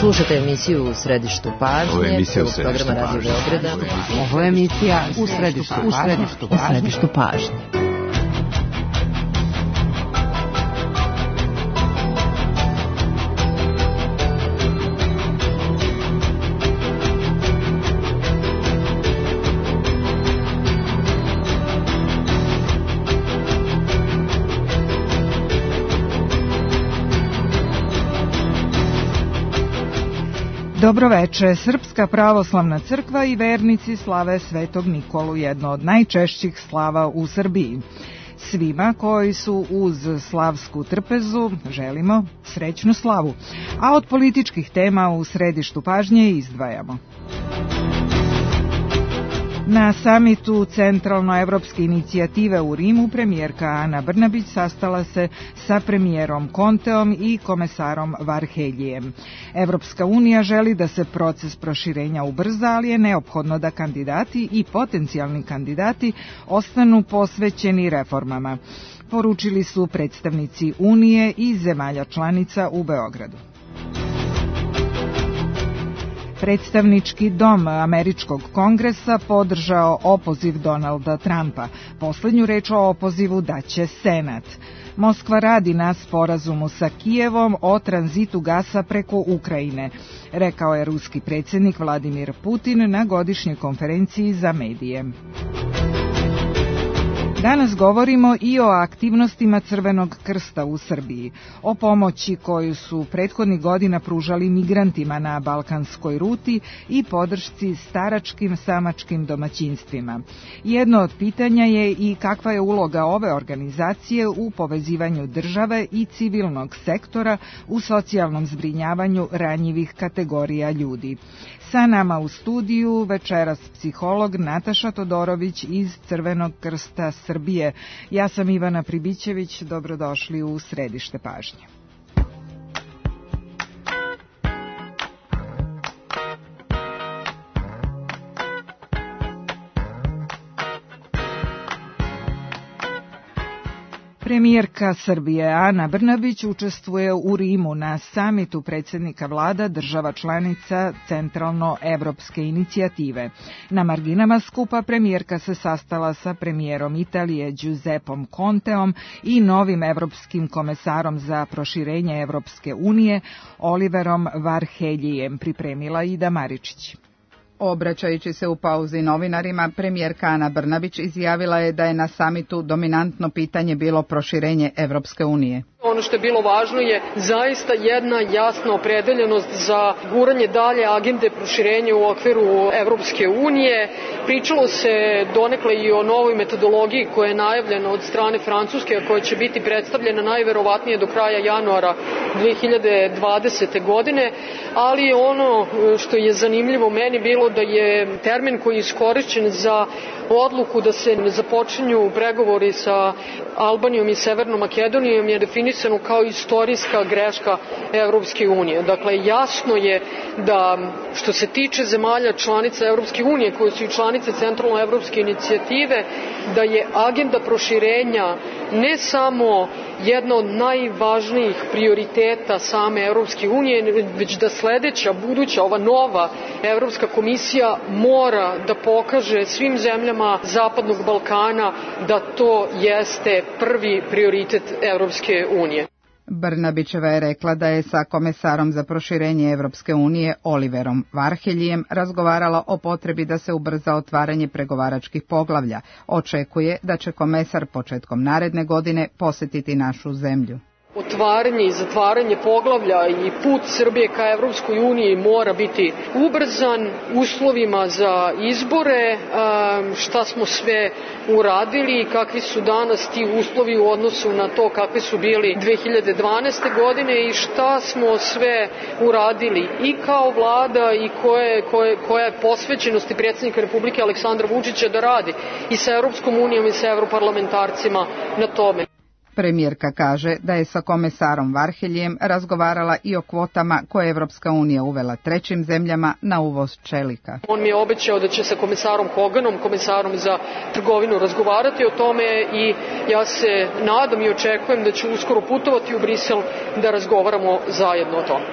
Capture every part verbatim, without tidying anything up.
Slušate emisiju U središtu pažnje. Ovo je emisija U središtu programa Radio Beograda. Ovo je emisija U središtu U središtu pažnje. U središtu pažnje. Dobroveče, Srpska pravoslavna crkva i vernici slave Svetog Nikolu, jedno od najčešćih slava u Srbiji. Svima koji su uz slavsku trpezu želimo srećnu slavu, a od političkih tema u središtu pažnje izdvajamo. Na samitu Centralnoevropske inicijative u Rimu premijerka Ana Brnabić sastala se sa premijerom Conteom i komesarom Varheljijem. Evropska unija želi da se proces proširenja ubrza, ali je neophodno da kandidati i potencijalni kandidati ostanu posvećeni reformama, poručili su predstavnici Unije i zemalja članica u Beogradu. Predstavnički dom Američkog kongresa podržao opoziv Donalda Trumpa. Poslednju reč o opozivu daće Senat. Moskva radi na sporazumu sa Kijevom o tranzitu gasa preko Ukrajine, rekao je ruski predsjednik Vladimir Putin na godišnjoj konferenciji za medije. Danas govorimo i o aktivnostima Crvenog krsta u Srbiji, o pomoći koju su prethodnih godina pružali migrantima na balkanskoj ruti i podršci staračkim samačkim domaćinstvima. Jedno od pitanja je i kakva je uloga ove organizacije u povezivanju države i civilnog sektora u socijalnom zbrinjavanju ranjivih kategorija ljudi. Sa nama u studiju večeras psiholog Nataša Todorović iz Crvenog krsta Srbije. Ja sam Ivana Pribićević, dobrodošli u središte pažnje. Premijerka Srbije Ana Brnabić učestvuje u Rimu na samitu predsjednika vlada država članica Centralnoevropske inicijative. Na marginama skupa premijerka se sastala sa premijerom Italije Giuseppom Conteom i novim evropskim komesarom za proširenje Evropske unije Oliverom Varheljijem, pripremila Ida Maričić. Obraćajući se u pauzi novinarima, premijerka Ana Brnabić izjavila je da je na samitu dominantno pitanje bilo proširenje Evropske unije. Ono što je bilo važno je zaista jedna jasna opredeljenost za guranje dalje agende proširenja u okviru Evropske unije. Pričalo se donekle i o novoj metodologiji koja je najavljena od strane Francuske, a koja će biti predstavljena najverovatnije do kraja januara dve hiljade dvadesete. godine, ali ono što je zanimljivo meni bilo da je termin koji je iskorišćen za odluku da se ne započinju pregovori sa Albanijom i Severnom Makedonijom je definisano kao istorijska greška Evropske unije. Dakle, jasno je da što se tiče zemalja članica Evropske unije, koje su i članice Centralnoevropske inicijative, da je agenda proširenja ne samo jedna od najvažnijih prioriteta same Evropske unije, već da sledeća, buduća, ova nova Evropska komisija mora da pokaže svim zemljama Zapadnog Balkana da to jeste prvi prioritet Evropske unije. Brnabićeva je rekla da je sa komesarom za proširenje Evropske unije Oliverom Varheljijem razgovarala o potrebi da se ubrza otvaranje pregovaračkih poglavlja. Očekuje da će komesar početkom naredne godine posetiti našu zemlju. Otvaranje i zatvaranje poglavlja i put Srbije ka Evropskoj uniji mora biti ubrzan uslovima za izbore, šta smo sve uradili i kakvi su danas ti uslovi u odnosu na to kakvi su bili dve hiljade dvanaeste. godine i šta smo sve uradili i kao vlada i koje, koje, koja je posvećenost i predsjednika Republike Aleksandra Vučića da radi i sa Evropskom unijom i sa europarlamentarcima na tome. Premijerka kaže da je sa komesarom Varheljijem razgovarala i o kvotama koje je Evropska unija uvela trećim zemljama na uvoz čelika. On mi je obećao da će sa komisarom Hoganom, komisarom za trgovinu, razgovarati o tome i ja se nadam i očekujem da će uskoro putovati u Brisel da razgovaramo zajedno o tome.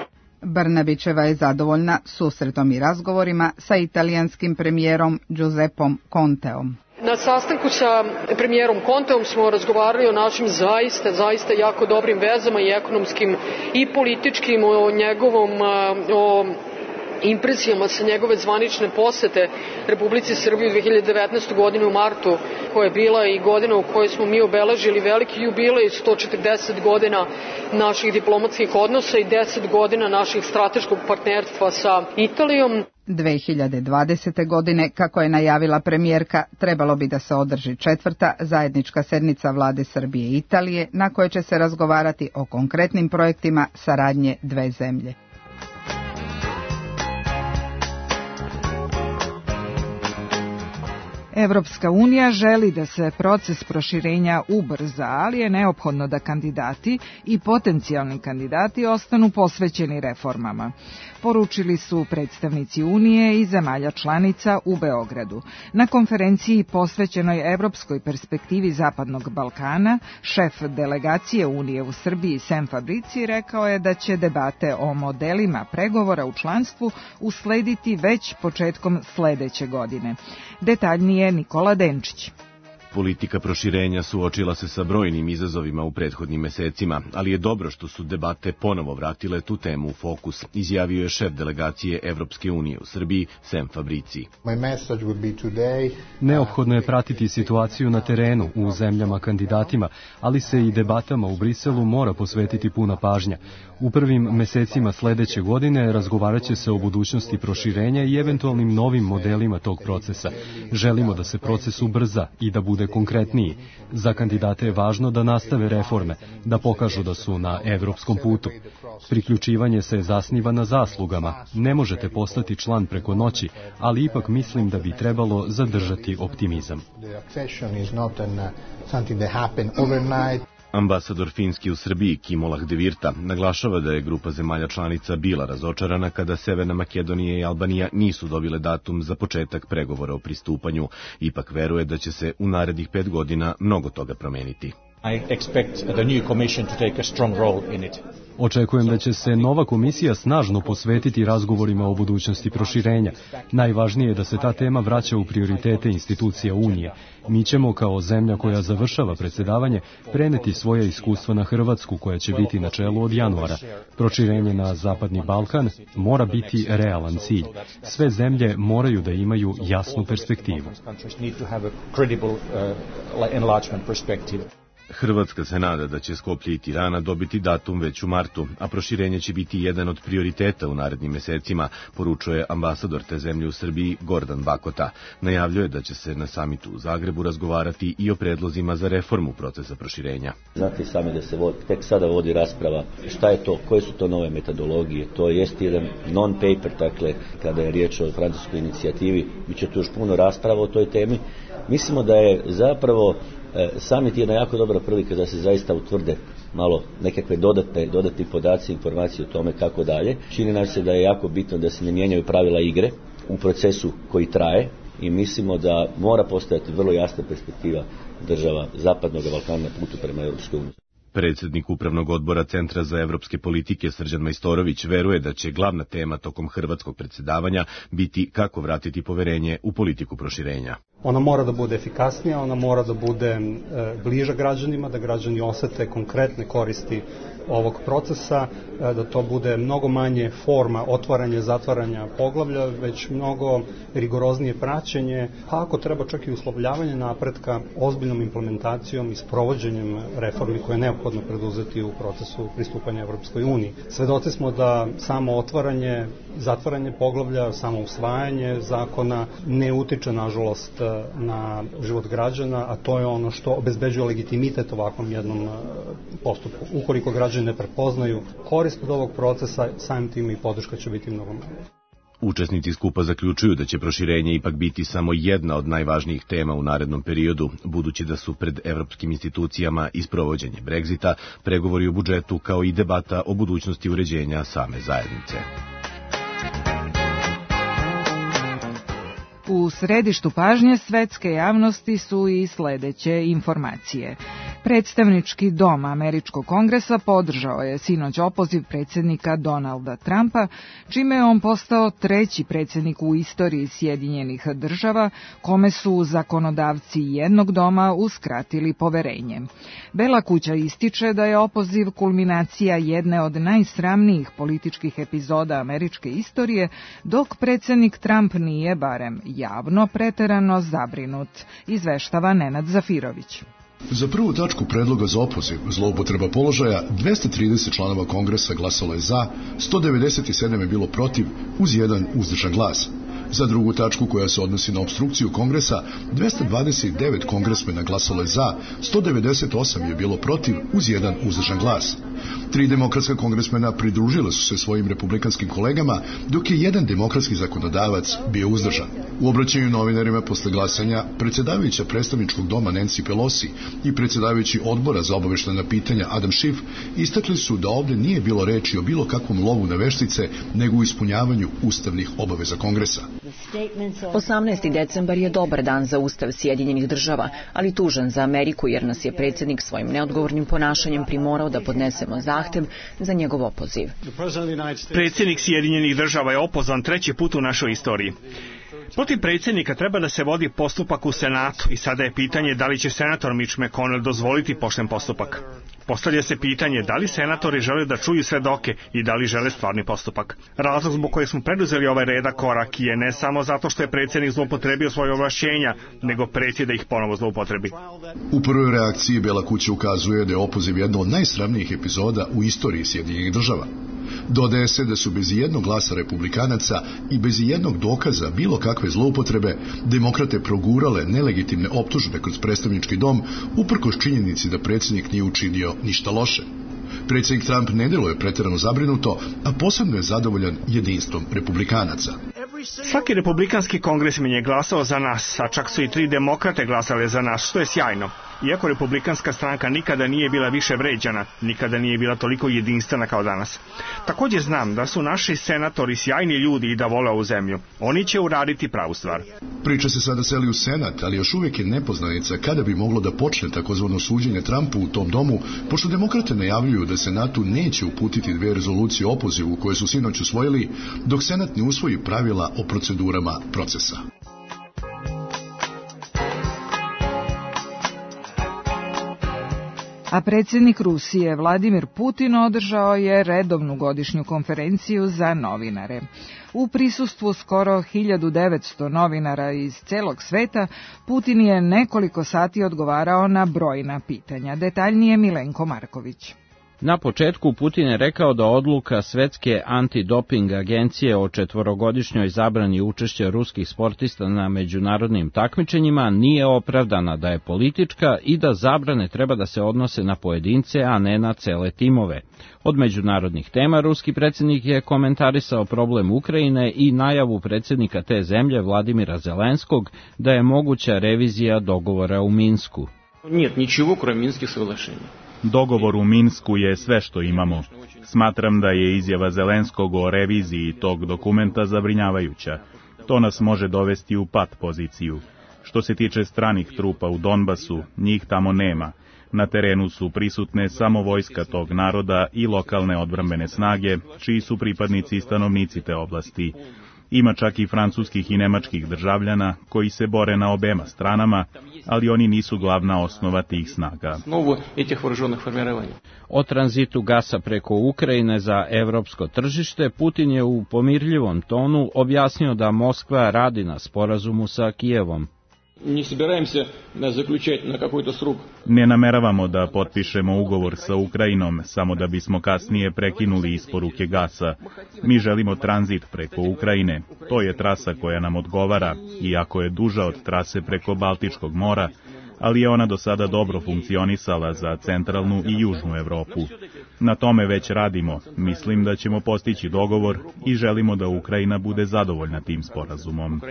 Brnabićeva je zadovoljna susretom i razgovorima sa italijanskim premijerom Giuseppom Conteom. Na sastanku sa premijerom Conteom smo razgovarali o našim zaista, zaista jako dobrim vezama i ekonomskim i političkim, o njegovom, o impresijama sa njegove zvanične posete Republici Srbiji u dve hiljade devetnaestoj. godine u martu, koja je bila i godina u kojoj smo mi obeležili veliki jubilej, sto četrdeset godina naših diplomatskih odnosa i deset godina naših strateškog partnerstva sa Italijom. dve hiljade dvadesete. godine, kako je najavila premijerka, trebalo bi da se održi četvrta zajednička sednica vlade Srbije i Italije, na kojoj će se razgovarati o konkretnim projektima saradnje dve zemlje. Evropska unija želi da se proces proširenja ubrza, ali je neophodno da kandidati i potencijalni kandidati ostanu posvećeni reformama, poručili su predstavnici Unije i zemalja članica u Beogradu. Na konferenciji posvećenoj evropskoj perspektivi Zapadnog Balkana, šef delegacije Unije u Srbiji Sam Fabrici rekao je da će debate o modelima pregovora u članstvu uslediti već početkom sledeće godine. Detaljnije Nikola Denčić. Politika proširenja suočila se sa brojnim izazovima u prethodnim mesecima, ali je dobro što su debate ponovo vratile tu temu u fokus, izjavio je šef delegacije Evropske unije u Srbiji, Sam Fabrici. Neophodno je pratiti situaciju na terenu u zemljama kandidatima, ali se i debatama u Briselu mora posvetiti puna pažnja. U prvim mesecima sledeće godine razgovarat će se o budućnosti proširenja i eventualnim novim modelima tog procesa. Želimo da se proces ubrza i da bude konkretniji. Za kandidate je važno da nastave reforme, da pokažu da su na evropskom putu. Priključivanje se zasniva na zaslugama. Ne možete postati član preko noći, ali ipak mislim da bi trebalo zadržati optimizam. Ambasador Finski u Srbiji Kimo Lahdevirta naglašava da je grupa zemalja članica bila razočarana kada Severna Makedonija i Albanija nisu dobile datum za početak pregovora o pristupanju. Ipak veruje da će se u narednih pet godina mnogo toga promeniti. I expect the new commission to take a strong role in it. Očekujem da će se nova komisija snažno posvetiti razgovorima o budućnosti proširenja. Najvažnije je da se ta tema vraća u prioritete institucija Unije. Mi ćemo, kao zemlja koja završava predsjedavanje, preneti svoje iskustva na Hrvatsku, koja će biti na čelu od januara. Proširenje na Zapadni Balkan mora biti realan cilj. Sve zemlje moraju da imaju jasnu perspektivu. Hrvatska se nada da će Skoplje i Tirana dobiti datum već u martu, a proširenje će biti jedan od prioriteta u narednim mesecima, poručuje ambasador te zemlje u Srbiji Gordan Bakota. Najavljuje da će se na samitu u Zagrebu razgovarati i o predlozima za reformu procesa proširenja. Znate sami da se vodi, tek sada vodi rasprava šta je to, koje su to nove metodologije. To jest jedan non-paper, dakle, kada je riječ o francuskoj inicijativi, bit će tu još puno rasprava o toj temi. Mislimo da je zapravo samit jedna jako dobra prilika da se zaista utvrde malo nekakve dodatne, dodatni podaci, informacije o tome kako dalje. Čini nam se da je jako bitno da se ne mijenjaju pravila igre u procesu koji traje i mislimo da mora postojati vrlo jasna perspektiva država Zapadnog Balkana na putu prema Europskoj uniji. Predsjednik Upravnog odbora Centra za evropske politike Srđan Majstorović veruje da će glavna tema tokom hrvatskog predsjedavanja biti kako vratiti poverenje u politiku proširenja. Ona mora da bude efikasnija, ona mora da bude e, bliža građanima, da građani osete konkretne koristi ovog procesa, e, da to bude mnogo manje forma otvaranja, zatvaranja poglavlja, već mnogo rigoroznije praćenje, pa ako treba čak i uslovljavanje napretka ozbiljnom implementacijom i sprovođenjem reformi koje je neophodno preduzeti u procesu pristupanja Evropskoj uniji. Svedoci smo da samo otvaranje, zatvaranje poglavlja, samo usvajanje zakona ne utiče, nažalost, na život građana, a to je ono što obezbeđuje legitimitet ovakvom jednom postupku. Ukoliko građani ne prepoznaju korist od ovog procesa, samim tim i podrška će biti mnogo manja. Učesnici skupa zaključuju da će proširenje ipak biti samo jedna od najvažnijih tema u narednom periodu, budući da su pred evropskim institucijama i sprovođenje Brexita, pregovori o budžetu kao i debata o budućnosti uređenja same zajednice. U središtu pažnje svetske javnosti su i sledeće informacije. Predstavnički dom Američkog kongresa podržao je sinoć opoziv predsjednika Donalda Trumpa, čime je on postao treći predsjednik u istoriji Sjedinjenih država, kome su zakonodavci jednog doma uskratili poverenje. Bela kuća ističe da je opoziv kulminacija jedne od najsramnijih političkih epizoda američke istorije, dok predsjednik Trump nije, barem javno, preterano zabrinut, izveštava Nenad Zafirović. Za prvu tačku predloga za opoziv zloupotreba položaja dvesta trideset članova kongresa glasalo je za, sto devedeset sedam je bilo protiv, uz jedan uzdržan glas. Za drugu tačku koja se odnosi na opstrukciju kongresa, dvesta dvadeset devet kongresmena glasalo je za, sto devedeset osam je bilo protiv, uz jedan uzdržan glas. Tri demokratska kongresmena pridružila su se svojim republikanskim kolegama, dok je jedan demokratski zakonodavac bio uzdržan. U obraćanju novinarima posle glasanja, predsjedavajuća predstavničkog doma Nancy Pelosi i predsjedavajući odbora za obaveštena pitanja Adam Schiff istakli su da ovdje nije bilo reči o bilo kakvom lovu na veštice, nego u ispunjavanju ustavnih obaveza kongresa. osamnaesti decembar je dobar dan za Ustav Sjedinjenih država, ali tužan za Ameriku jer nas je predsjednik svojim neodgovornim ponašanjem primorao da podnesemo zahtev za njegov opoziv. Predsjednik Sjedinjenih država je opozvan treći put u našoj istoriji. Protiv predsjednika treba da se vodi postupak u Senatu i sada je pitanje da li će senator Mitch McConnell dozvoliti pošten postupak. Postavlja se pitanje da li senatori žele da čuju svedoke i da li žele stvarni postupak. Razlog zbog kojeg smo preduzeli ovaj redak korak je ne samo zato što je predsjednik zloupotrebio svoje ovlašćenja, nego preti da ih ponovo zloupotrebi. U prvoj reakciji Bela kuća ukazuje da je opoziv jedna od najsramnijih epizoda u istoriji Sjedinjenih država. Dodaje se da su bez jednog glasa republikanaca i bez jednog dokaza bilo kakve zloupotrebe demokrate progurale nelegitimne optužbe kroz predstavnički dom uprkos činjenici da predsjednik nije učinio ništa loše. Predsjednik Trump ne deluje pretjerano zabrinuto, a posebno je zadovoljan jedinstvom republikanaca. Svaki republikanski kongresmen je glasao za nas, a čak su i tri demokrate glasale za nas, što je sjajno. Iako republikanska stranka nikada nije bila više vređana, nikada nije bila toliko jedinstvena kao danas. Također znam da su naši senatori sjajni ljudi i da vole ovu zemlju. Oni će uraditi pravu stvar. Priča se sada seli u Senat, ali još uvijek je nepoznanica kada bi moglo da počne takozvano suđenje Trumpu u tom domu, pošto demokrate najavljuju da Senatu neće uputiti dve rezolucije o opozivu koje su sinoć usvojili, dok Senat ne usvoji pravila o procedurama procesa. A predsjednik Rusije Vladimir Putin održao je redovnu godišnju konferenciju za novinare. U prisustvu skoro hiljadu devetsto novinara iz celog sveta, Putin je nekoliko sati odgovarao na brojna pitanja. Detaljnije Milenko Marković. Na početku Putin je rekao da odluka Svetske antidoping agencije o četvorogodišnjoj zabrani učešća ruskih sportista na međunarodnim takmičenjima nije opravdana, da je politička i da zabrane treba da se odnose na pojedince, a ne na cele timove. Od međunarodnih tema ruski predsjednik je komentarisao problem Ukrajine i najavu predsjednika te zemlje Vladimira Zelenskog da je moguća revizija dogovora u Minsku. Нет ничего, кроме Минских соглашений. Dogovor u Minsku je sve što imamo. Smatram da je izjava Zelenskog o reviziji tog dokumenta zabrinjavajuća. To nas može dovesti u pat poziciju. Što se tiče stranih trupa u Donbasu, njih tamo nema. Na terenu su prisutne samo vojska tog naroda i lokalne odbrambene snage, čiji su pripadnici i stanovnici te oblasti. Ima čak i francuskih i nemačkih državljana koji se bore na obema stranama, ali oni nisu glavna osnova tih snaga. O tranzitu gasa preko Ukrajine za evropsko tržište Putin je u pomirljivom tonu objasnio da Moskva radi na sporazumu sa Kijevom. Ne nameravamo da potpišemo ugovor sa Ukrajinom samo da bismo kasnije prekinuli isporuke gasa. Mi želimo tranzit preko Ukrajine. To je trasa koja nam odgovara, iako je duža od trase preko Baltičkog mora, ali je ona do sada dobro funkcionisala za centralnu i južnu Evropu. Na tome već radimo. Mislim da ćemo postići dogovor i želimo da Ukrajina bude zadovoljna tim sporazumom.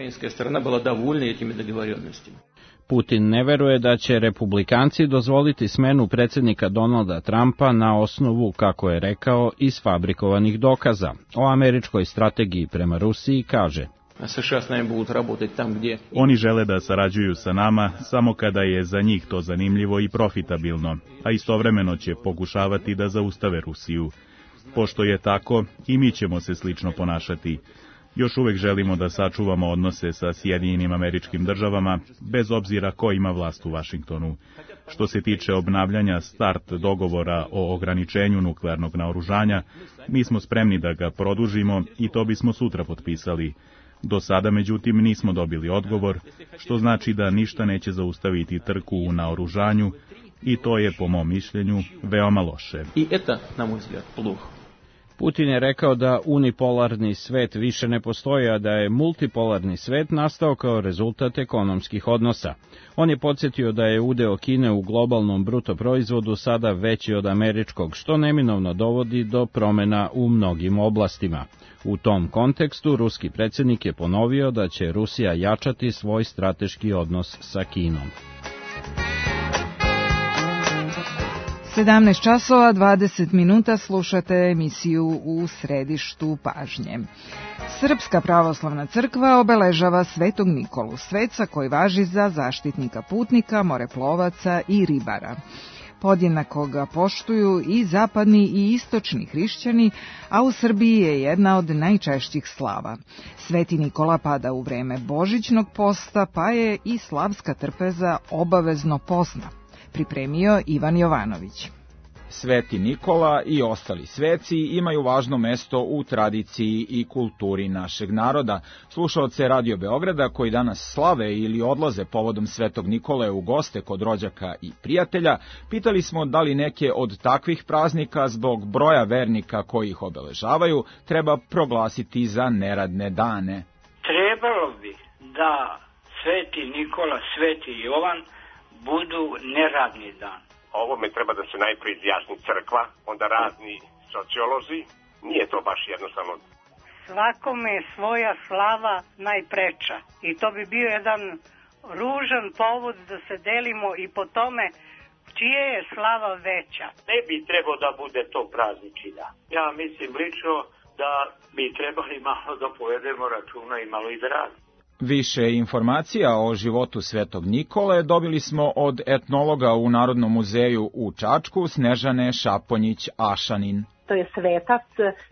Putin ne veruje da će republikanci dozvoliti smenu predsjednika Donalda Trumpa na osnovu, kako je rekao, isfabrikovanih dokaza. O američkoj strategiji prema Rusiji kaže: США с нами будут работать там, где... Oni žele da sarađuju sa nama samo kada je za njih to zanimljivo i profitabilno, a istovremeno će pokušavati da zaustave Rusiju. Pošto je tako, i mi ćemo se slično ponašati. Još uvek želimo da sačuvamo odnose sa Sjedinjenim Američkim Državama, bez obzira ko ima vlast u Vašingtonu. Što se tiče obnavljanja start dogovora o ograničenju nuklearnog naoružanja, mi smo spremni da ga produžimo i to bismo sutra potpisali. Do sada, međutim, nismo dobili odgovor, što znači da ništa neće zaustaviti trku u naoružanju i to je, po mom mišljenju, veoma loše. I eta, na moj vzgled, pluh. Putin je rekao da unipolarni svet više ne postoji, a da je multipolarni svet nastao kao rezultat ekonomskih odnosa. On je podsjetio da je udeo Kine u globalnom bruto proizvodu sada veći od američkog, što neminovno dovodi do promena u mnogim oblastima. U tom kontekstu, ruski predsjednik je ponovio da će Rusija jačati svoj strateški odnos sa Kinom. sedamnaest časova dvadeset minuta slušate emisiju U središtu pažnje. Srpska pravoslavna crkva obeležava Svetog Nikolu, sveca koji važi za zaštitnika putnika, moreplovaca i ribara. Podjednako ga poštuju i zapadni i istočni hrišćani, a u Srbiji je jedna od najčešćih slava. Sveti Nikola pada u vreme božićnog posta, pa je i slavska trpeza obavezno postna. Pripremio Ivan Jovanović. Sveti Nikola i ostali sveci imaju važno mesto u tradiciji i kulturi našeg naroda. Slušaoce Radio Beograda koji danas slave ili odlaze povodom Svetog Nikole u goste kod rođaka i prijatelja, pitali smo da li neke od takvih praznika zbog broja vernika koji ih obeležavaju treba proglasiti za neradne dane. Trebalo bi da Sveti Nikola, Sveti Jovan budu neradni dan. Ovome treba da se najprije izjasni crkva, onda razni sociolozi. Nije to baš jednostavno. Svakome je svoja slava najpreča. I to bi bio jedan ružan povod da se delimo i po tome čije je slava veća. Ne bi trebao da bude to praznični dan. Ja mislim lično da bi trebali malo da povedemo računa i malo i da radimo. Više informacija o životu Svetog Nikole dobili smo od etnologa u Narodnom muzeju u Čačku, Snežane Šaponjić-Ašanin. To je svetac,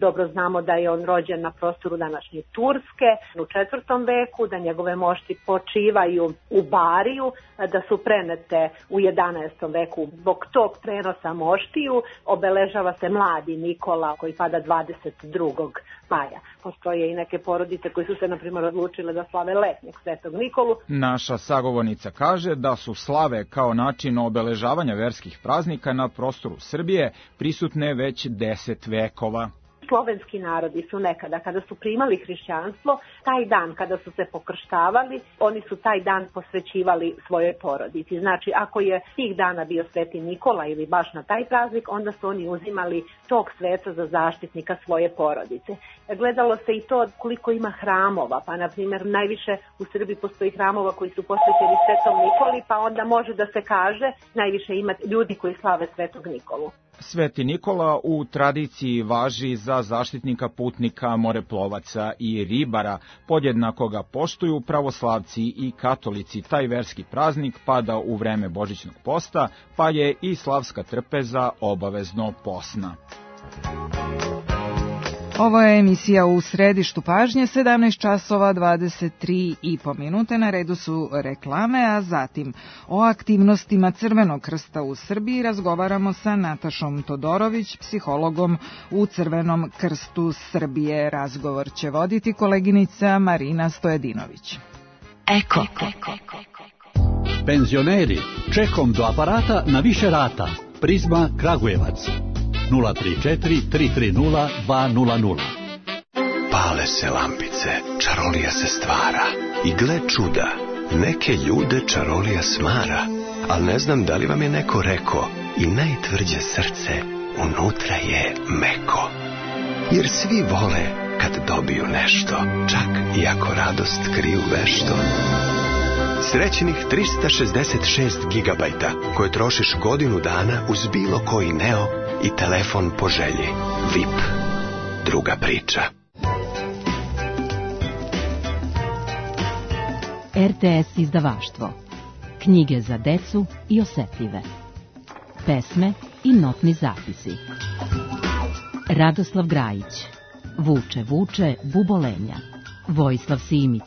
dobro znamo da je on rođen na prostoru današnje Turske u četvrtom veku, da njegove mošti počivaju u Bariju, da su prenete u jedanaestom veku. Zbog tog prenosa moštiju obeležava se mladi Nikola koji pada dvadeset drugog maja. Postoje i neke porodice koji su se, na primjer, odlučile da slave letnjeg Svetog Nikolu. Naša sagovornica kaže da su slave kao način obeležavanja verskih praznika na prostoru Srbije prisutne već deset vekova. Slovenski narodi su nekada, kada su primali hrišćanstvo, taj dan kada su se pokrštavali, oni su taj dan posvećivali svojoj porodici. Znači, ako je tih dana bio Sveti Nikola ili baš na taj praznik, onda su oni uzimali tog sveca za zaštitnika svoje porodice. Gledalo se i to koliko ima hramova, pa na primjer najviše u Srbiji postoji hramova koji su posvećeni Svetom Nikoli, pa onda može da se kaže najviše ima ljudi koji slave Svetog Nikolu. Sveti Nikola u tradiciji važi za zaštitnika putnika, moreplovaca i ribara. Podjednako ga poštuju pravoslavci i katolici. Taj verski praznik pada u vreme božićnog posta, pa je i slavska trpeza obavezno posna. Ovo je emisija U središtu pažnje, sedamnaest časova dvadeset tri i po minute, na redu su reklame, a zatim o aktivnostima Crvenog krsta u Srbiji razgovaramo sa Natašom Todorović, psihologom u Crvenom krstu Srbije. Razgovor će voditi koleginica Marina Stojedinović. Eko. Penzioneri, čekom do aparata na više rata. Prizma Kragujevac. nula tri četiri tri tri nula dva nula nula. Pale se lampice, čarolija se stvara. I gle čuda, neke ljude čarolija smara. Al ne znam da li vam je neko rekao, i najtvrđe srce unutra je meko. Jer svi vole kad dobiju nešto, čak i ako radost kriju vešto. Srećnih trista šezdeset šest gigabajta koje trošiš godinu dana uz bilo koji Neo i telefon po želji. V I P. Druga priča. R T S izdavaštvo. Knjige za decu i osetljive. Pesme i notni zapisi. Radoslav Grajić. Vuče, vuče, bubolenja. Vojislav Simić.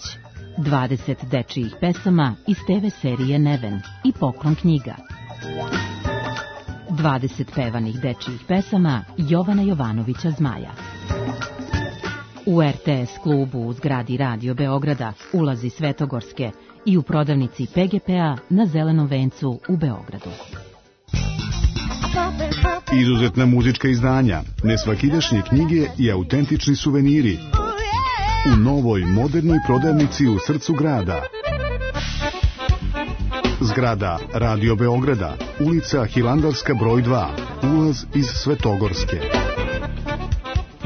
dvadeset dečijih pesama iz te ve serije Neven i Poklon knjiga. dvadeset pevanih dečijih pesama Jovana Jovanovića Zmaja. U R T S klubu u zgradi Radio Beograda, ulazi Svetogorske i u prodavnici P G P-a na Zelenom vencu u Beogradu. Izuzetna muzička izdanja, nesvakidašnje knjige i autentični suveniri u novoj modernoj prodavnici u srcu grada. Zgrada Radio Beograda, ulica Hilandarska broj dva, ulaz iz Svetogorske.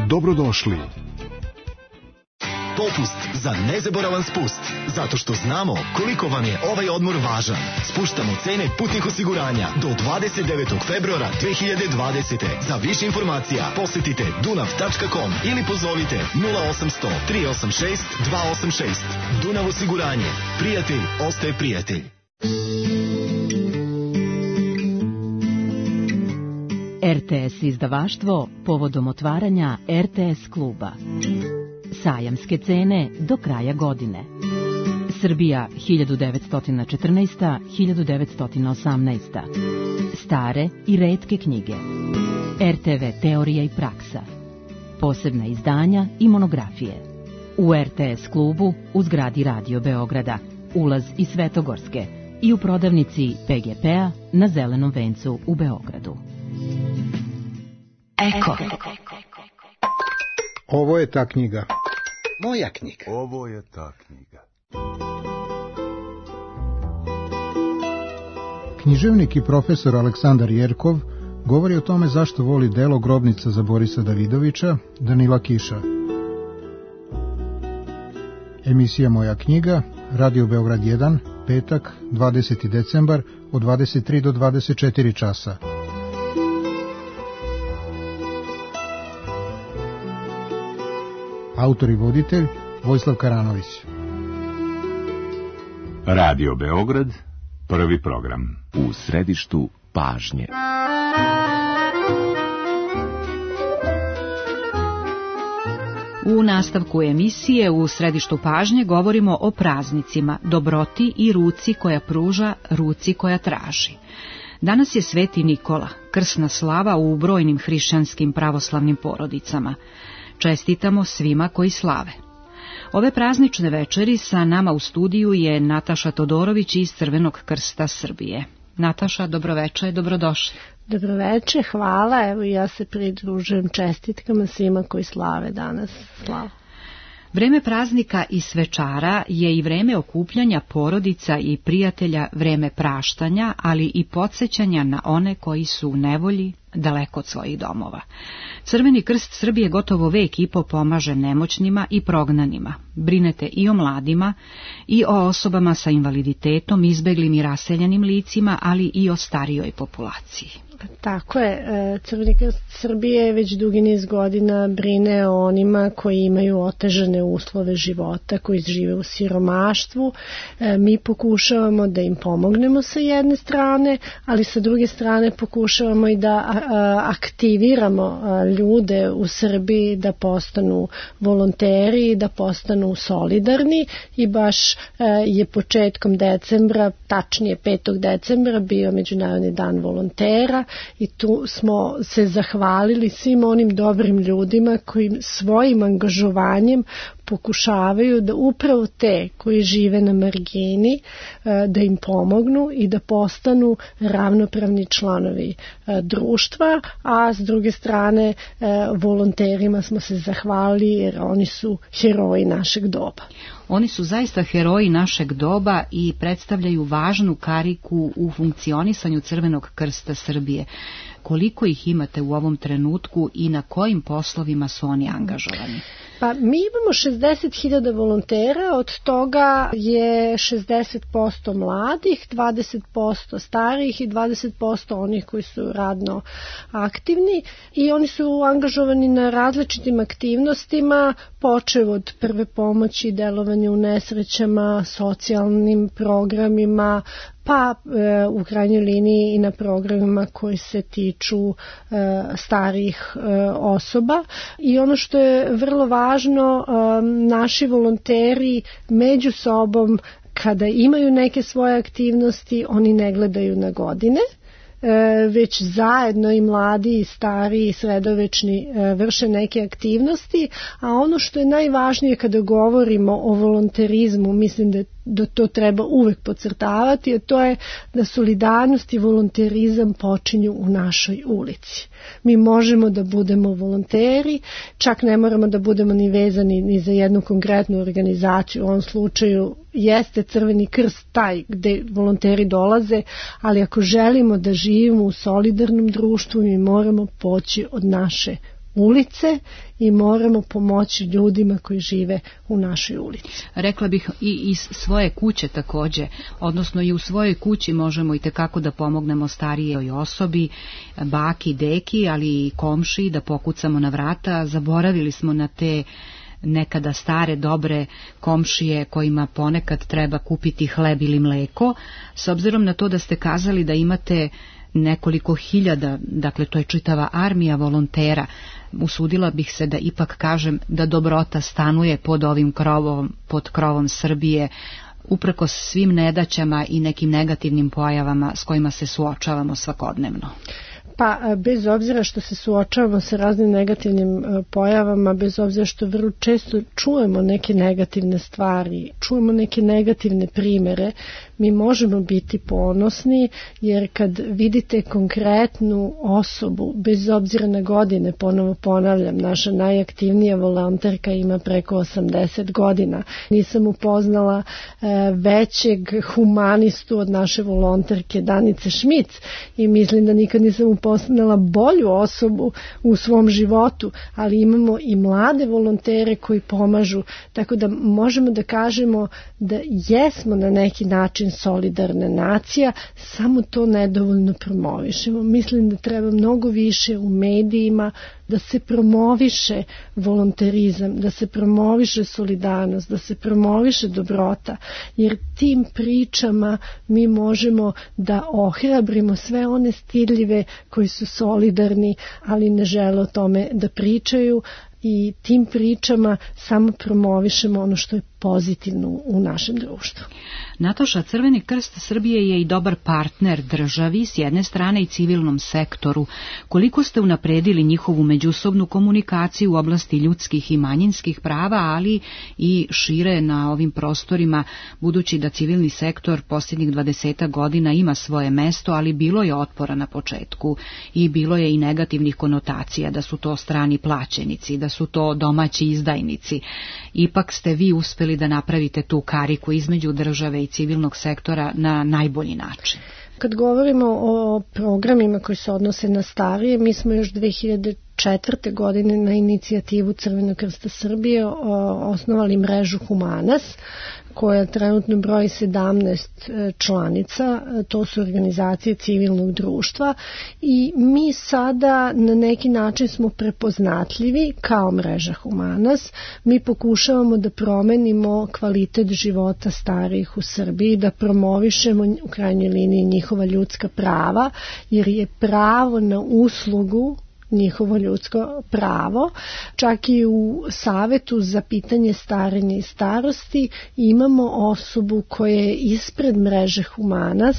Dobrodošli. Popust za nezaboravan spust, zato što znamo koliko vam je ovaj odmor važan. Spuštamo cene putnih osiguranja do dvadeset devetog februara dve hiljade dvadesete. Za više informacija posetite dunav tačka com ili pozovite nula osamsto tri osam šest dva osam šest. Dunav osiguranje. Prijatelj ostaje prijatelj. R T S izdavaštvo povodom otvaranja R T S kluba. Sajamske cene do kraja godine. Srbija hiljadu devetsto četrnaeste do hiljadu devetsto osamnaeste. Stare i retke knjige. R T V teorija i praksa. Posebna izdanja i monografije. U R T S klubu u zgradi Radio Beograda, ulaz iz Svetogorske i u prodavnici P G P-a na Zelenom vencu u Beogradu. Eko. Ovo je ta knjiga. Moja knjiga. Ovo je ta knjiga. Književnik i profesor Aleksandar Jerkov govori o tome zašto voli delo Grobnica za Borisa Davidovića, Danila Kiša. Emisija Moja knjiga, Radio Beograd jedan, petak, dvadeseti decembar, od dvadeset tri do dvadeset četiri časa. Autor i voditelj Vojislav Karanović. Radio Beograd, prvi program. U središtu pažnje. U nastavku emisije u središtu pažnje govorimo o praznicima, dobroti i ruci koja pruža, ruci koja traži. Danas je Sveti Nikola, krsna slava u brojnim hrišćanskim pravoslavnim porodicama. Čestitamo svima koji slave. Ove praznične večeri sa nama u studiju je Nataša Todorović iz Crvenog krsta Srbije. Nataša, dobroveče, dobrodošli. Dobroveče, hvala. Evo ja se pridružujem čestitkama svima koji slave danas slavu. Vreme praznika i svečara je i vreme okupljanja porodica i prijatelja, vreme praštanja, ali i podsjećanja na one koji su u nevolji, daleko od svojih domova. Crveni krst Srbije gotovo vek i po pomaže nemoćnima i prognanima. Brinete i o mladima i o osobama sa invaliditetom, izbeglim i raseljenim licima, ali i o starijoj populaciji. Tako je, Crveni krst Srbije već dugi niz godina brine o onima koji imaju otežane uslove života, koji žive u siromaštvu. Mi pokušavamo da im pomognemo sa jedne strane, ali sa druge strane pokušavamo i da aktiviramo ljude u Srbiji da postanu volonteri, da postanu solidarni i baš je početkom decembra, tačnije petog decembra, bio Međunarodni dan volontera i tu smo se zahvalili svim onim dobrim ljudima koji svojim angažovanjem pokušavaju da upravo te koji žive na margini da im pomognu i da postanu ravnopravni članovi društva, a s druge strane volonterima smo se zahvalili jer oni su heroji našeg doba. Oni su zaista heroji našeg doba i predstavljaju važnu kariku u funkcionisanju Crvenog krsta Srbije. Koliko ih imate u ovom trenutku i na kojim poslovima su oni angažovani? Pa mi imamo šezdeset hiljada volontera, od toga je šezdeset posto mladih, dvadeset posto starijih i dvadeset posto onih koji su radno aktivni i oni su angažovani na različitim aktivnostima, počev od prve pomoći, delovanja u nesrećama, socijalnim programima, pa e, u krajnjoj liniji i na programima koji se tiču e, starijih e, osoba. I ono što je vrlo važno, e, naši volonteri među sobom kada imaju neke svoje aktivnosti, oni ne gledaju na godine, već zajedno i mladi i stari i sredovečni vrše neke aktivnosti, a ono što je najvažnije kada govorimo o volonterizmu, mislim da da to treba uvek podcrtavati, a to je da solidarnost i volonterizam počinju u našoj ulici. Mi možemo da budemo volonteri, čak ne moramo da budemo ni vezani ni za jednu konkretnu organizaciju, u ovom slučaju jeste Crveni krst taj gde volonteri dolaze, ali ako želimo da živimo u solidarnom društvu, mi moramo poći od naše ulice i moramo pomoći ljudima koji žive u našoj ulici. Rekla bih i iz svoje kuće takođe, odnosno i u svojoj kući možemo i tekako da pomognemo starijoj osobi, baki, deki, ali i komšiji, da pokucamo na vrata. Zaboravili smo na te nekada stare, dobre komšije kojima ponekad treba kupiti hleb ili mleko. S obzirom na to da ste kazali da imate nekoliko hiljada, dakle to je čitava armija volontera, usudila bih se da ipak kažem da dobrota stanuje pod ovim krovom, pod krovom Srbije, uprkos svim nedaćama i nekim negativnim pojavama s kojima se suočavamo svakodnevno. Pa bez obzira što se suočavamo sa raznim negativnim pojavama, bez obzira što vrlo često čujemo neke negativne stvari, čujemo neke negativne primere, mi možemo biti ponosni, jer kad vidite konkretnu osobu, bez obzira na godine, ponovo ponavljam, naša najaktivnija volonterka ima preko osamdeset godina. Nisam upoznala e, većeg humanistu od naše volonterke Danice Šmic i mislim da nikad nisam upoznala bolju osobu u svom životu, ali imamo i mlade volontere koji pomažu, tako da možemo da kažemo da jesmo na neki način solidarna nacija, samo to nedovoljno promovišemo. Mislim da treba mnogo više u medijima da se promoviše volonterizam, da se promoviše solidarnost, da se promoviše dobrota, jer tim pričama mi možemo da ohrabrimo sve one stidljive koji su solidarni, ali ne žele o tome da pričaju, i tim pričama samo promovišemo ono što je pozitivno u našem društvu. Nataša, Crveni krst Srbije je i dobar partner državi, s jedne strane i civilnom sektoru. Koliko ste unapredili njihovu međusobnu komunikaciju u oblasti ljudskih i manjinskih prava, ali i šire na ovim prostorima, budući da civilni sektor posljednjih dvadesetak godina ima svoje mesto, ali bilo je otpora na početku i bilo je i negativnih konotacija, da su to strani plaćenici, da su to domaći izdajnici. Ipak ste vi uspeli da napravite tu kariku između države i civilnog sektora na najbolji način. Kad govorimo o programima koji se odnose na starije, mi smo još dve hiljade četvrte godine na inicijativu Crvenog krsta Srbije osnovali mrežu Humanas, koja trenutno broji sedamnaest članica, to su organizacije civilnog društva, i mi sada na neki način smo prepoznatljivi kao mreža Humanas. Mi pokušavamo da promenimo kvalitet života starijih u Srbiji, da promovišemo u krajnjoj liniji njihova ljudska prava, jer je pravo na uslugu njihovo ljudsko pravo. Čak i u Savetu za pitanje starenja i starosti imamo osobu koja je ispred mreže Humanas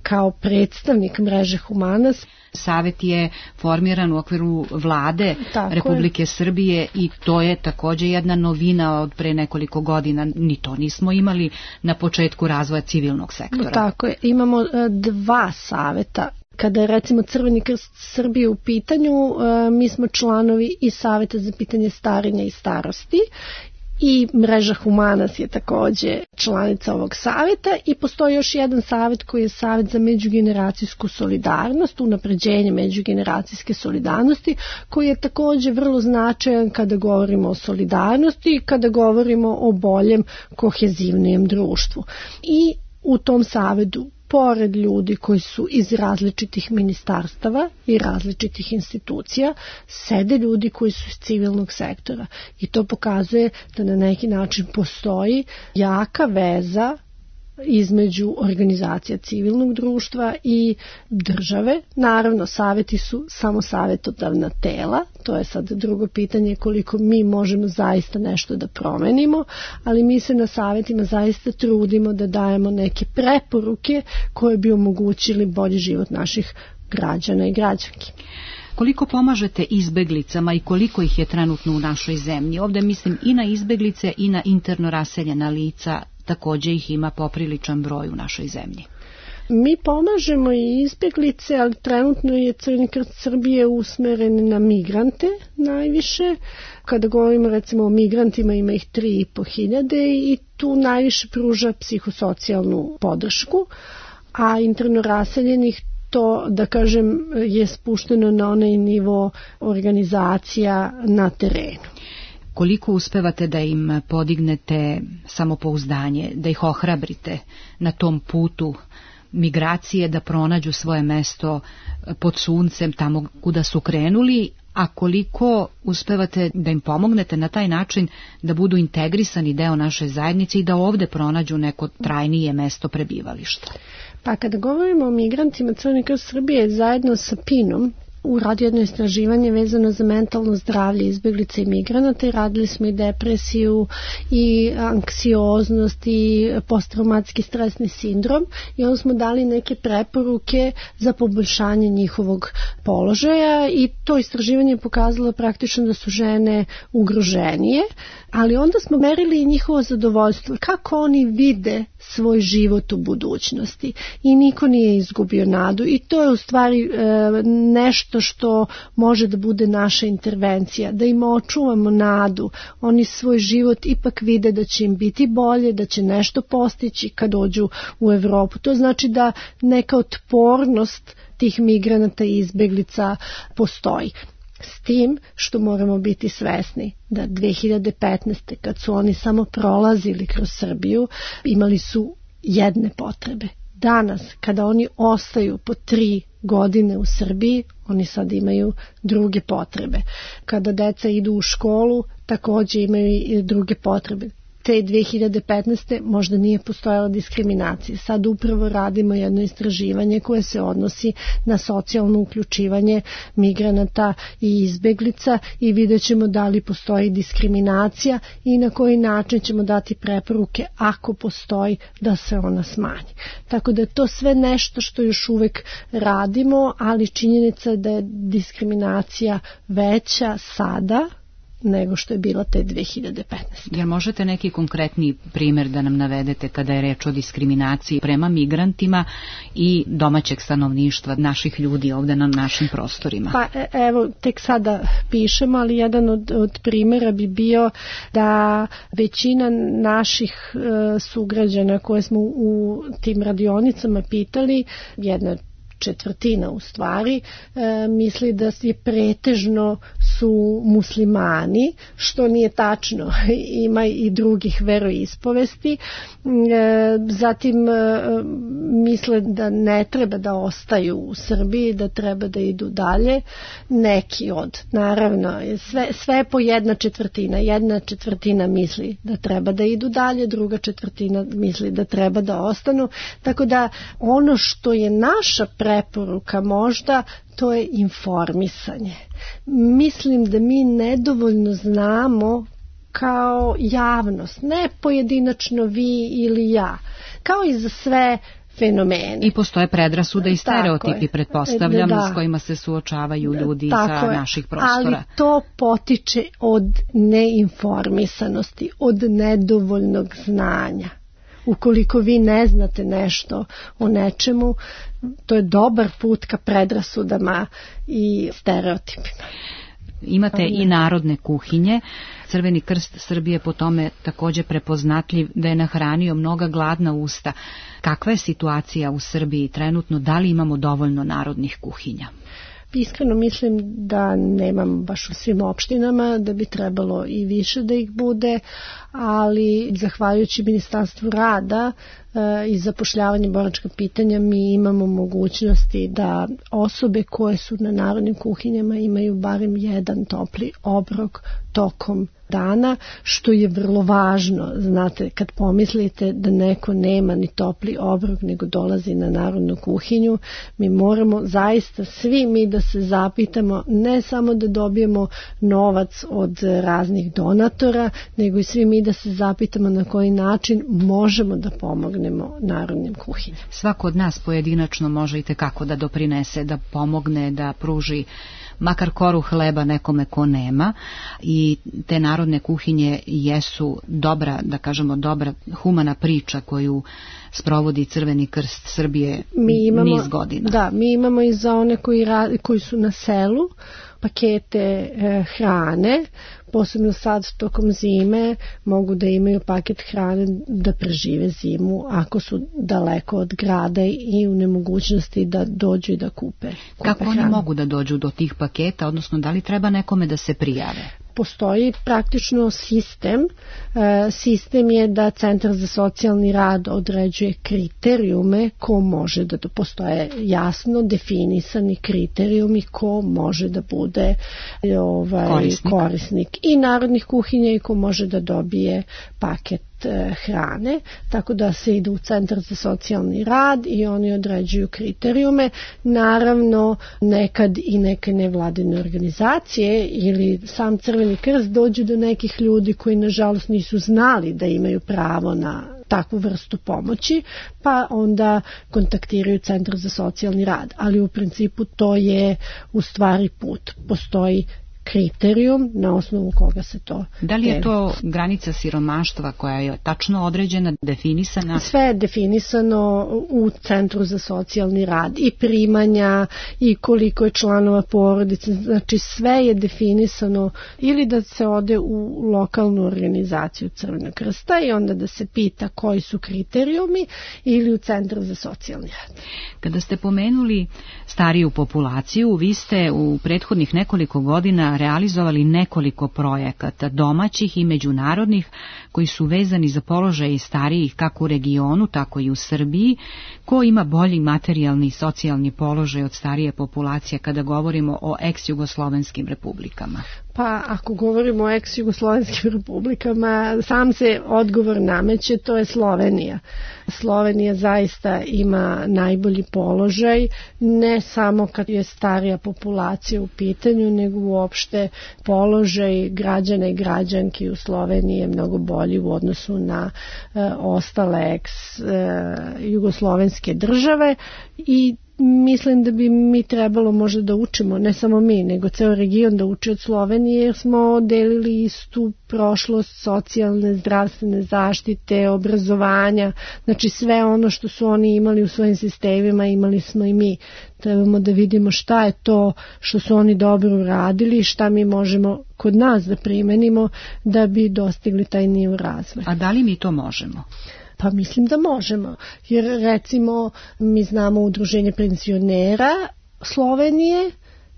kao predstavnik mreže Humanas. Savet je formiran u okviru vlade Tako Republike je. Srbije i to je također jedna novina od pre nekoliko godina. Ni to nismo imali na početku razvoja civilnog sektora. Tako je. Imamo dva saveta. Kada je recimo Crveni krst Srbije u pitanju, mi smo članovi i Saveta za pitanje starenja i starosti I Mreža Humanas je takođe članica ovog saveta i postoji još jedan savet koji je savet za međugeneracijsku solidarnost, unapređenje međugeneracijske solidarnosti, koji je takođe vrlo značajan kada govorimo o solidarnosti i kada govorimo o boljem, kohezivnijem društvu. I u tom savetu, pored ljudi koji su iz različitih ministarstava i različitih institucija, sede ljudi koji su iz civilnog sektora. I to pokazuje da na neki način postoji jaka veza između organizacija civilnog društva i države. Naravno, saveti su samo savetodavna tela, to je sad drugo pitanje koliko mi možemo zaista nešto da promenimo, ali mi se na savetima zaista trudimo da dajemo neke preporuke koje bi omogućili bolji život naših građana i građanki. Koliko pomažete izbeglicama i koliko ih je trenutno u našoj zemlji? Ovde mislim i na izbeglice i na interno raseljena lica, takođe ih ima popriličan broj u našoj zemlji. Mi pomažemo i izbeglice, ali trenutno je Crveni krst Srbije usmeren na migrante najviše. Kada govorimo recimo o migrantima, ima ih tri i po hiljade i tu najviše pruža psihosocijalnu podršku, a interno raseljenih to, da kažem, je spušteno na onaj nivo organizacija na terenu. Koliko uspevate da im podignete samopouzdanje, da ih ohrabrite na tom putu migracije, da pronađu svoje mesto pod suncem tamo kuda su krenuli, a koliko uspevate da im pomognete na taj način da budu integrisani deo naše zajednice i da ovde pronađu neko trajnije mesto prebivališta? Pa kada govorimo o migrantima, Crveni krst Srbije zajedno sa P I N-om uradio jedno istraživanje vezano za mentalno zdravlje izbeglica i migranata i radili smo i depresiju i anksioznost i posttraumatski stresni sindrom i onda smo dali neke preporuke za poboljšanje njihovog položaja i to istraživanje je pokazalo praktično da su žene ugroženije, ali onda smo merili i njihovo zadovoljstvo, kako oni vide svoj život u budućnosti i niko nije izgubio nadu i to je u stvari e, nešto što može da bude naša intervencija, da im očuvamo nadu, oni svoj život ipak vide da će im biti bolje, da će nešto postići kad dođu u Evropu. To znači da neka otpornost tih migranata i izbeglica postoji. S tim što moramo biti svesni da dve hiljade petnaeste. kad su oni samo prolazili kroz Srbiju, imali su jedne potrebe. Danas, kada oni ostaju po tri godine u Srbiji, oni sad imaju druge potrebe. Kada deca idu u školu, takođe imaju i druge potrebe. Te dve hiljade petnaeste. možda nije postojala diskriminacija. Sad upravo radimo jedno istraživanje koje se odnosi na socijalno uključivanje migranata i izbeglica i vidjet ćemo da li postoji diskriminacija i na koji način ćemo dati preporuke ako postoji da se ona smanji. Tako da je to sve nešto što još uvek radimo, ali činjenica je da je diskriminacija veća sada nego što je bila te dve hiljade petnaeste. Jel možete neki konkretni primer da nam navedete kada je reč o diskriminaciji prema migrantima i domaćeg stanovništva, naših ljudi ovde na našim prostorima? Pa evo, tek sada pišemo, ali jedan od, od primjera bi bio da većina naših e, sugrađana koje smo u tim radionicama pitali, jedna četvrtina u stvari, e, misli da je pretežno su muslimani, što nije tačno, ima i drugih veroispovesti. E, zatim e, misle da ne treba da ostaju u Srbiji, da treba da idu dalje. Neki od, naravno, sve, sve po jedna četvrtina. Jedna četvrtina misli da treba da idu dalje, druga četvrtina misli da treba da ostanu. Tako da ono što je naša preporuka možda, to je informisanje. Mislim da mi nedovoljno znamo kao javnost, ne pojedinačno vi ili ja, kao i za sve fenomene. I postoje predrasude i stereotipi, pretpostavljam, da, s kojima se suočavaju ljudi tako sa je. naših prostora. Ali to potiče od neinformisanosti, od nedovoljnog znanja. Ukoliko vi ne znate nešto o nečemu, to je dobar put ka predrasudama i stereotipima. Imate i narodne kuhinje. Crveni krst Srbije po tome također prepoznatljiv da je nahranio mnoga gladna usta. Kakva je situacija u Srbiji trenutno? Da li imamo dovoljno narodnih kuhinja? Iskreno mislim da nemam baš u svim opštinama, da bi trebalo i više da ih bude, ali zahvaljujući Ministarstvu rada e, i zapošljavanje boračka pitanja mi imamo mogućnosti da osobe koje su na narodnim kuhinjama imaju barem jedan topli obrok tokom dana, što je vrlo važno. Znate, kad pomislite da neko nema ni topli obrok nego dolazi na narodnu kuhinju, mi moramo zaista svi mi da se zapitamo, ne samo da dobijemo novac od raznih donatora, nego i svi mi da se zapitamo na koji način možemo da pomognemo narodnim kuhinjama. Svako od nas pojedinačno može i tekako da doprinese, da pomogne, da pruži makar koru hleba nekome ko nema, i te narodne kuhinje jesu dobra, da kažemo dobra humana priča koju sprovodi Crveni krst Srbije mi imamo, niz godina. Da, mi imamo i za one koji, radi, koji su na selu pakete e, hrane, posebno sad tokom zime mogu da imaju paket hrane da prežive zimu ako su daleko od grada i u nemogućnosti da dođu i da kupe. kupe Kako hranu. Oni mogu da dođu do tih paketa, odnosno da li treba nekome da se prijave? Postoji praktično sistem. E, sistem je da Centar za socijalni rad određuje kriterijume ko može da postoje jasno definisani kriterijumi ko može da bude ovaj, korisnik. korisnik i narodnih kuhinja i ko može da dobije paket hrane, tako da se ide u Centar za socijalni rad i oni određuju kriterijume. Naravno, nekad i neke nevladine organizacije ili sam Crveni krst dođu do nekih ljudi koji nažalost nisu znali da imaju pravo na takvu vrstu pomoći, pa onda kontaktiraju Centar za socijalni rad. Ali u principu to je u stvari put. Postoji kriterijum na osnovu koga se to... Da li je to granica siromaštva koja je tačno određena, definisana? Sve je definisano u Centru za socijalni rad, i primanja i koliko je članova porodice, znači sve je definisano, ili da se ode u lokalnu organizaciju Crvenog krsta i onda da se pita koji su kriterijumi, ili u Centar za socijalni rad. Kada ste pomenuli stariju populaciju, vi ste u prethodnih nekoliko godina realizovali nekoliko projekata domaćih i međunarodnih koji su vezani za položaj starijih kako u regionu, tako i u Srbiji. Ko ima bolji materijalni i socijalni položaj od starije populacije kada govorimo o ex-jugoslovenskim republikama? Pa ako govorimo o ex-jugoslovenskim republikama, sam se odgovor nameće, to je Slovenija. Slovenija zaista ima najbolji položaj, ne samo kad je starija populacija u pitanju, nego uopšte položaj građana i građanki u Sloveniji je mnogo bolji u odnosu na e, ostale ex-jugoslovenske države, i mislim da bi mi trebalo možda da učimo, ne samo mi, nego ceo region da uči od Slovenije, jer smo delili istu prošlost socijalne, zdravstvene zaštite, obrazovanja, znači sve ono što su oni imali u svojim sistemima imali smo i mi. Trebamo da vidimo šta je to što su oni dobro uradili i šta mi možemo kod nas da primenimo da bi dostigli taj nivo razvoja. A da li mi to možemo? Pa mislim da možemo, jer recimo mi znamo udruženje penzionera Slovenije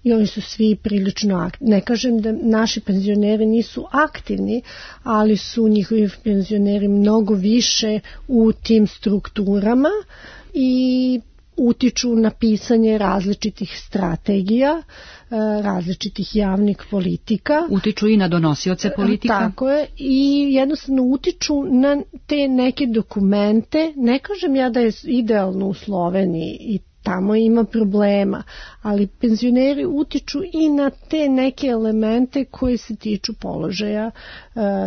i oni su svi prilično aktivni. Ne kažem da naši penzioneri nisu aktivni, ali su njihovi penzioneri mnogo više u tim strukturama i utiču na pisanje različitih strategija, različitih javnih politika. Utiču i na donosioce politika. Tako je, i jednostavno utiču na te neke dokumente. Ne kažem ja da je idealno u Sloveniji i tamo ima problema, ali penzioneri utiču i na te neke elemente koji se tiču položaja e,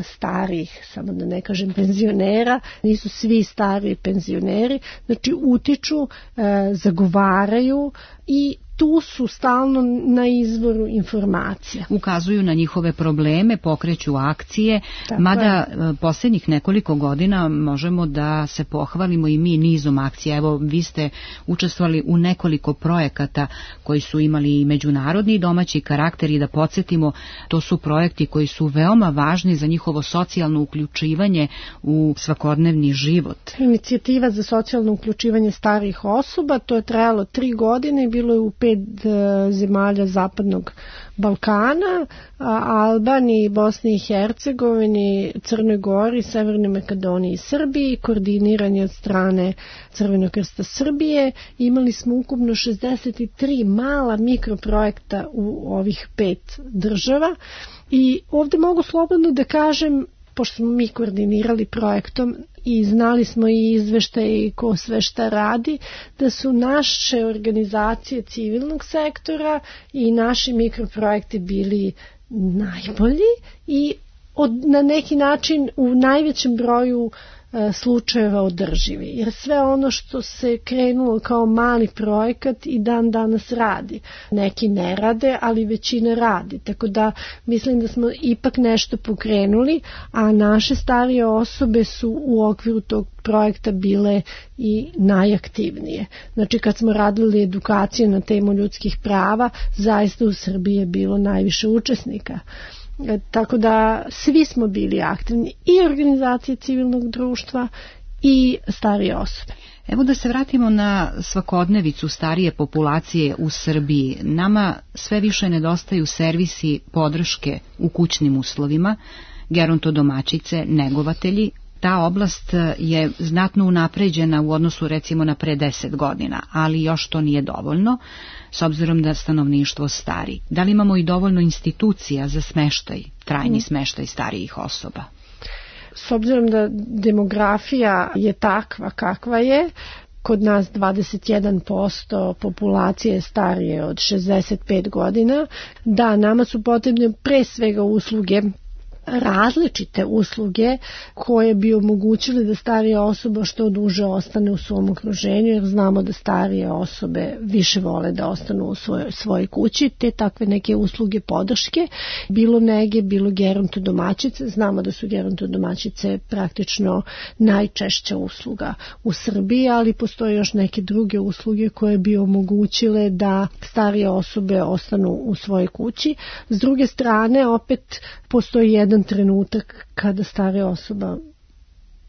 starih, samo da ne kažem penzionera, nisu svi stari penzioneri, znači utiču, e, zagovaraju i tu su stalno na izvoru informacija. Ukazuju na njihove probleme, pokreću akcije, Tako mada je. posljednjih nekoliko godina možemo da se pohvalimo i mi nizom akcija. Evo, vi ste učestvovali u nekoliko projekata koji su imali i međunarodni i domaći karakter i da podsjetimo, to su projekti koji su veoma važni za njihovo socijalno uključivanje u svakodnevni život. Inicijativa za socijalno uključivanje starijih osoba, to je trajalo tri godine i bilo je u pet e, zemalja Zapadnog Balkana, a, Albaniji, Bosni i Hercegovini, Crnoj Gori, Severnoj Makedoniji i Srbiji, koordiniran je od strane Crvenog krsta Srbije. Imali smo ukupno šezdeset tri mala mikroprojekta u ovih pet država i ovdje mogu slobodno da kažem, pošto smo mi koordinirali projektom i znali smo i izveštaje i ko sve šta radi, da su naše organizacije civilnog sektora i naši mikroprojekti bili najbolji i od, na neki način u najvećem broju e, slučajeva održivi. Jer sve ono što se krenulo kao mali projekat i dan danas radi. Neki ne rade, ali većina radi. Tako da mislim da smo ipak nešto pokrenuli, a naše starije osobe su u okviru tog projekta bile i najaktivnije. Znači kad smo radili edukacije na temu ljudskih prava, zaista u Srbiji je bilo najviše učesnika. Tako da svi smo bili aktivni, i organizacije civilnog društva i starije osobe. Evo da se vratimo na svakodnevicu starije populacije u Srbiji. Nama sve više nedostaju servisi podrške u kućnim uslovima, gerontodomaćice, negovatelji. Ta oblast je znatno unapređena u odnosu recimo na pre deset godina, ali još to nije dovoljno, s obzirom da stanovništvo stari. Da li imamo i dovoljno institucija za smeštaj, trajni smeštaj starijih osoba? S obzirom da demografija je takva kakva je, kod nas dvadeset jedan posto populacije je starije od šezdeset pet godina, da nama su potrebne pre svega usluge, različite usluge koje bi omogućile da starija osoba što duže ostane u svom okruženju, jer znamo da starije osobe više vole da ostanu u svojoj, svojoj kući, te takve neke usluge podrške, bilo nege, bilo gerontodomaćice. Znamo da su gerontodomaćice praktično najčešća usluga u Srbiji, ali postoje još neke druge usluge koje bi omogućile da starije osobe ostanu u svojoj kući. S druge strane, opet postoji jedan trenutak kada starija osoba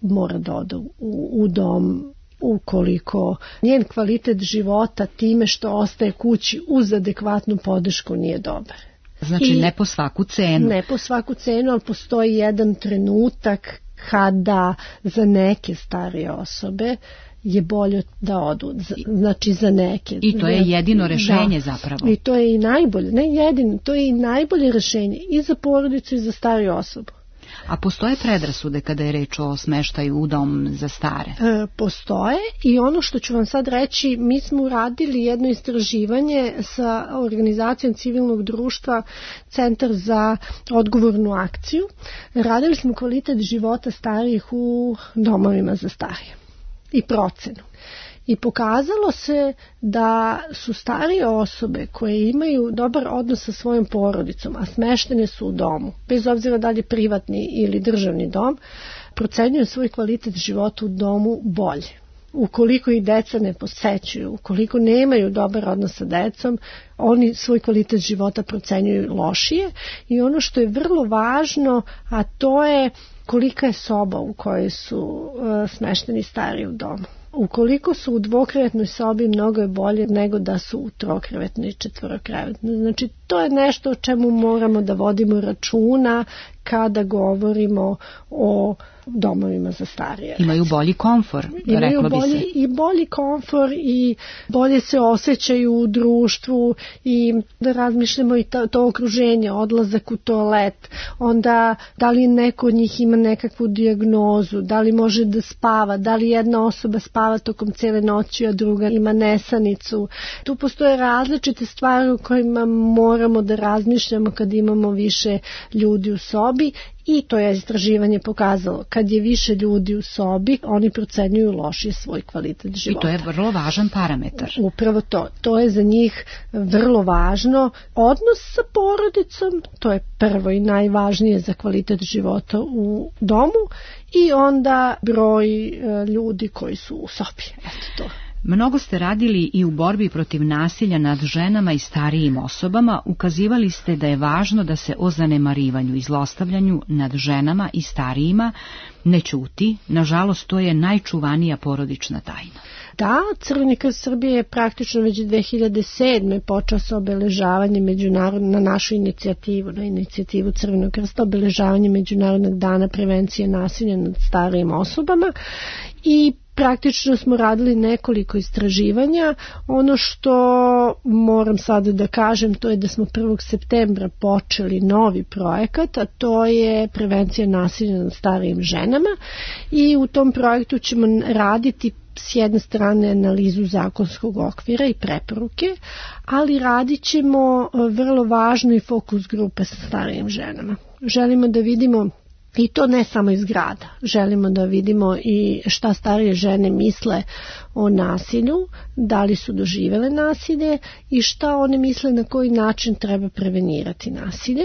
mora da ode u, u dom ukoliko njen kvalitet života time što ostaje kući uz adekvatnu podršku nije dobar. Znači I ne po svaku cenu. Ne po svaku cenu, ali postoji jedan trenutak kada za neke starije osobe je bolje da odu, znači za neke. I to je jedino rešenje, da, zapravo. I to je i najbolje, ne jedino, to je i najbolje rešenje i za porodicu i za stariju osobu. A postoje predrasude kada je reč o smeštaju u dom za stare? E, postoje i ono što ću vam sad reći, mi smo uradili jedno istraživanje sa organizacijom civilnog društva Centar za odgovornu akciju. Radili smo kvalitet života starijih u domovima za starije i procenu. I pokazalo se da su starije osobe koje imaju dobar odnos sa svojom porodicom, a smeštene su u domu, bez obzira da li je privatni ili državni dom, procenjuju svoj kvalitet života u domu bolje. Ukoliko ih deca ne posećuju, ukoliko nemaju dobar odnos sa decom, oni svoj kvalitet života procenjuju lošije. I ono što je vrlo važno, a to je kolika je soba u kojoj su uh, smešteni stariji u domu. Ukoliko su u dvokrevetnoj sobi, mnogo je bolje nego da su u trokrevetnoj i četvorokrevetnoj. Znači, to je nešto o čemu moramo da vodimo računa kada govorimo o domovima za starije. Imaju bolji komfor, Imaju reklo bolji, bi se. I bolji komfor i bolje se osjećaju u društvu i da razmišljamo i to, to okruženje, odlazak u toalet, onda da li neko od njih ima nekakvu dijagnozu, da li može da spava, da li jedna osoba spava tokom cele noći, a druga ima nesanicu. Tu postoje različite stvari u kojima moramo da razmišljamo kad imamo više ljudi u sobi sobi i to je istraživanje pokazalo. Kad je više ljudi u sobi, oni procenjuju lošije svoj kvalitet života. I to je vrlo važan parametar. Upravo to. To je za njih vrlo važno. Odnos sa porodicom, to je prvo i najvažnije za kvalitet života u domu i onda broj ljudi koji su u sobi. Eto to. Mnogo ste radili i u borbi protiv nasilja nad ženama i starijim osobama. Ukazivali ste da je važno da se o zanemarivanju i zlostavljanju nad ženama i starijima ne ćuti. Nažalost, to je najčuvanija porodična tajna. Da, Crveni krst Srbije je praktično već dve hiljade sedme počeo sa obeležavanjem međunarodnog, na našu inicijativu, na inicijativu Crvenog krsta, obeležavanje Međunarodnog dana prevencije nasilja nad starijim osobama i praktično smo radili nekoliko istraživanja. Ono što moram sada da kažem, to je da smo prvog septembra počeli novi projekat, a to je prevencija nasilja nad starijim ženama i u tom projektu ćemo raditi s jedne strane analizu zakonskog okvira i preporuke, ali radit ćemo vrlo važno i fokus grupe sa starijim ženama. Želimo da vidimo i to ne samo iz grada. Želimo da vidimo i šta starije žene misle o nasilju, da li su doživele nasilje i šta one misle na koji način treba prevenirati nasilje.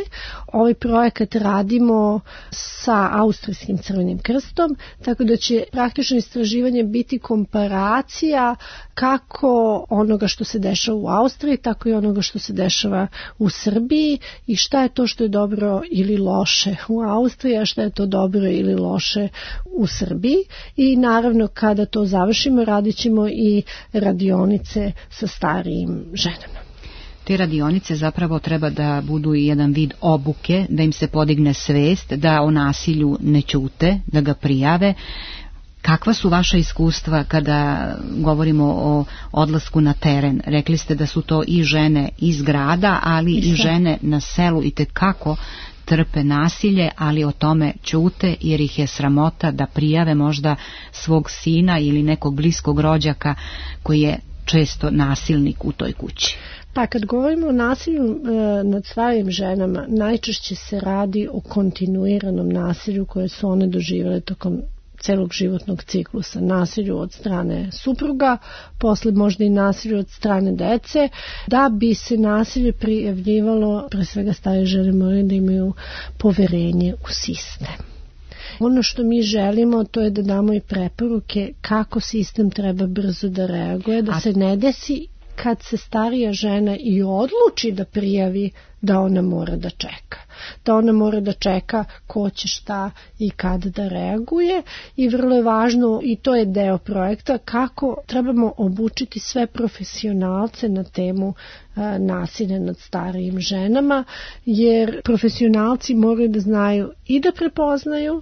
Ovaj projekat radimo sa Austrijskim Crvenim krstom, tako da će praktično istraživanje biti komparacija kako onoga što se dešava u Austriji, tako i onoga što se dešava u Srbiji i šta je to što je dobro ili loše u Austriji, a šta je to dobro ili loše u Srbiji. I naravno kada to završimo radit ćemo i radionice sa starijim ženama. Te radionice zapravo treba da budu i jedan vid obuke, da im se podigne svest, da o nasilju ne ćute, da ga prijave. Kakva su vaša iskustva kada govorimo o odlasku na teren? Rekli ste da su to i žene iz grada, ali i žene na selu i tekako trpe nasilje, ali o tome ćute jer ih je sramota da prijave možda svog sina ili nekog bliskog rođaka koji je često nasilnik u toj kući. Pa kad govorimo o nasilju e, nad starijim ženama, najčešće se radi o kontinuiranom nasilju koje su one doživjele tokom celog životnog ciklusa, nasilju od strane supruga, posle možda i nasilju od strane dece. Da bi se nasilje prijavljivalo, pre svega starije žene moraju da imaju poverenje u sistem. Ono što mi želimo, to je da damo i preporuke kako sistem treba brzo da reaguje, da se ne desi kad se starija žena i odluči da prijavi, da ona mora da čeka. Da ona mora da čeka ko će šta i kad da reaguje i vrlo je važno, i to je deo projekta, kako trebamo obučiti sve profesionalce na temu a, nasilja nad starijim ženama, jer profesionalci moraju da znaju i da prepoznaju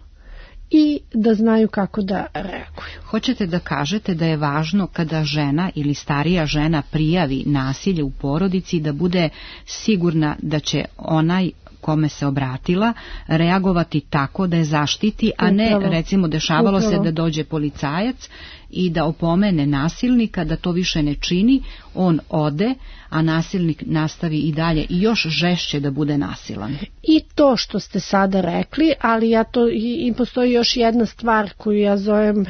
i da znaju kako da reaguju. Hoćete da kažete da je važno kada žena ili starija žena prijavi nasilje u porodici da bude sigurna da će onaj kome se obratila reagovati tako da je zaštiti, a ne upravo, recimo dešavalo upravo. se da dođe policajac i da opomene nasilnika da to više ne čini, on ode, a nasilnik nastavi i dalje i još žešće da bude nasilan. I to što ste sada rekli, ali ja to i, i postoji još jedna stvar koju ja zovem e,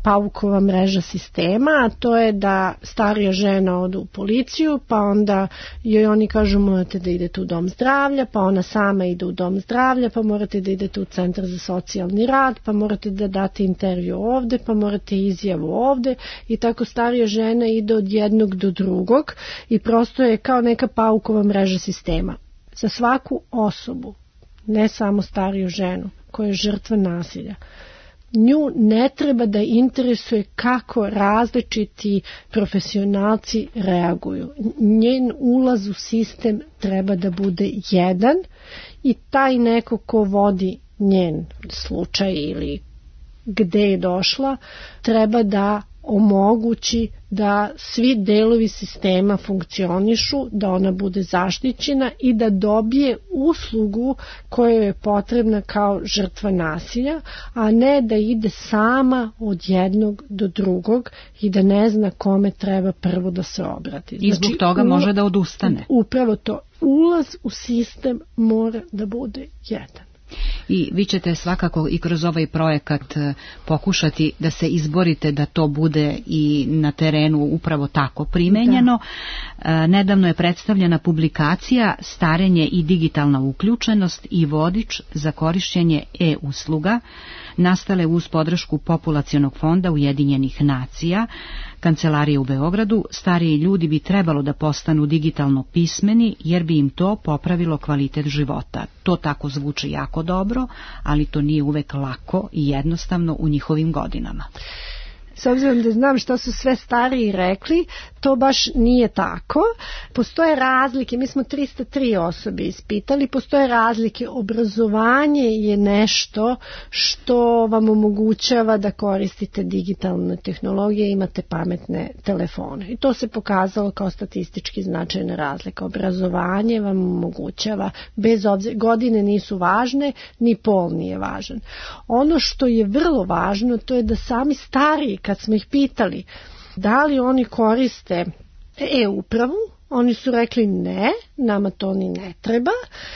paukova mreža sistema, a to je da starija žena ode u policiju, pa onda joj oni kažu morate da idete u dom zdravlja, pa ona sama ide u dom zdravlja, pa morate da idete u centar za socijalni rad, pa morate da date intervju ovde, pa morate izjavu ovde i tako starija žena ide od jednog do drugog i prosto je kao neka paukova mreža sistema. Za svaku osobu, ne samo stariju ženu koja je žrtva nasilja, nju ne treba da interesuje kako različiti profesionalci reaguju. Njen ulaz u sistem treba da bude jedan i taj neko ko vodi njen slučaj ili gde je došla, treba da omogući da svi delovi sistema funkcionišu, da ona bude zaštićena i da dobije uslugu koja je potrebna kao žrtva nasilja, a ne da ide sama od jednog do drugog i da ne zna kome treba prvo da se obrati. I zbog znači, toga može da odustane. Upravo to. Ulaz u sistem mora da bude jedan. I vi ćete svakako i kroz ovaj projekat pokušati da se izborite da to bude i na terenu upravo tako primenjeno. Da. Nedavno je predstavljena publikacija Starenje i digitalna uključenost i vodič za korišćenje e-usluga, nastale uz podršku Populacionog fonda Ujedinjenih nacija, Kancelarije u Beogradu. Stariji ljudi bi trebalo da postanu digitalno pismeni jer bi im to popravilo kvalitet života. To tako zvuči jako dobro, ali to nije uvek lako i jednostavno u njihovim godinama. S obzirom da znam što su sve stariji rekli, to baš nije tako. Postoje razlike, mi smo trista tri osobe ispitali, postoje razlike. Obrazovanje je nešto što vam omogućava da koristite digitalne tehnologije, imate pametne telefone. I to se pokazalo kao statistički značajna razlika. Obrazovanje vam omogućava, bez obzira, godine nisu važne, ni pol nije važan. Ono što je vrlo važno, to je da sami stariji, kad smo ih pitali da li oni koriste e-upravu, oni su rekli ne, nama to ni ne treba,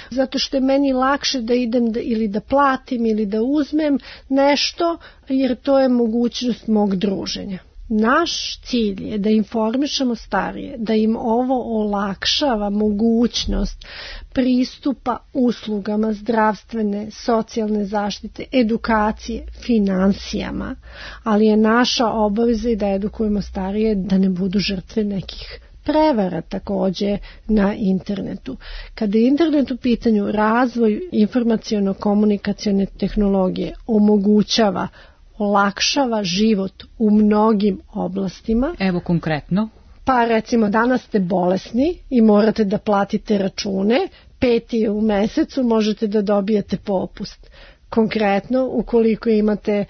zato što je meni lakše da idem da, ili da platim ili da uzmem nešto, jer to je mogućnost mog druženja. Naš cilj je da informišemo starije, da im ovo olakšava mogućnost pristupa uslugama zdravstvene, socijalne zaštite, edukacije, finansijama, ali je naša obaveza i da edukujemo starije da ne budu žrtve nekih prevara takođe na internetu. Kada je internet u pitanju, razvoj informaciono-komunikacione tehnologije omogućava, olakšava život u mnogim oblastima. Evo konkretno. Pa recimo danas ste bolesni i morate da platite račune, peti u mesecu možete da dobijete popust. Konkretno, ukoliko imate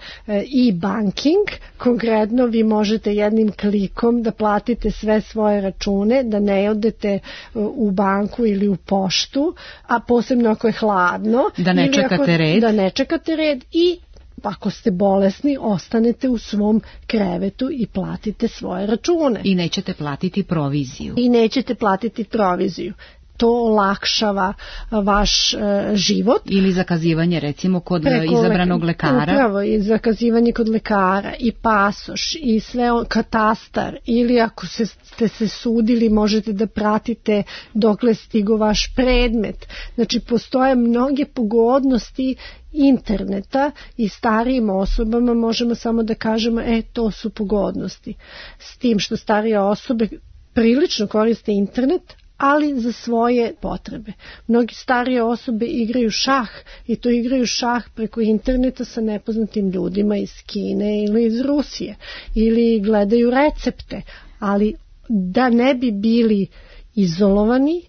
e-banking, konkretno vi možete jednim klikom da platite sve svoje račune, da ne odete u banku ili u poštu, a posebno ako je hladno. Da ne čekate red. Da ne čekate red i ako ste bolesni, ostanete u svom krevetu i platite svoje račune. I nećete platiti proviziju. I nećete platiti proviziju. To olakšava vaš uh, život. Ili zakazivanje recimo kod Preko izabranog le... lekara. Upravo, i zakazivanje kod lekara, i pasoš, i sve on, katastar, ili ako se, ste se sudili možete da pratite dokle stigo vaš predmet. Znači postoje mnoge pogodnosti interneta i starijim osobama možemo samo da kažemo e to su pogodnosti. S tim što starije osobe prilično koriste internet, ali za svoje potrebe. Mnogi starije osobe igraju šah i to igraju šah preko interneta sa nepoznatim ljudima iz Kine ili iz Rusije ili gledaju recepte, ali da ne bi bili izolovani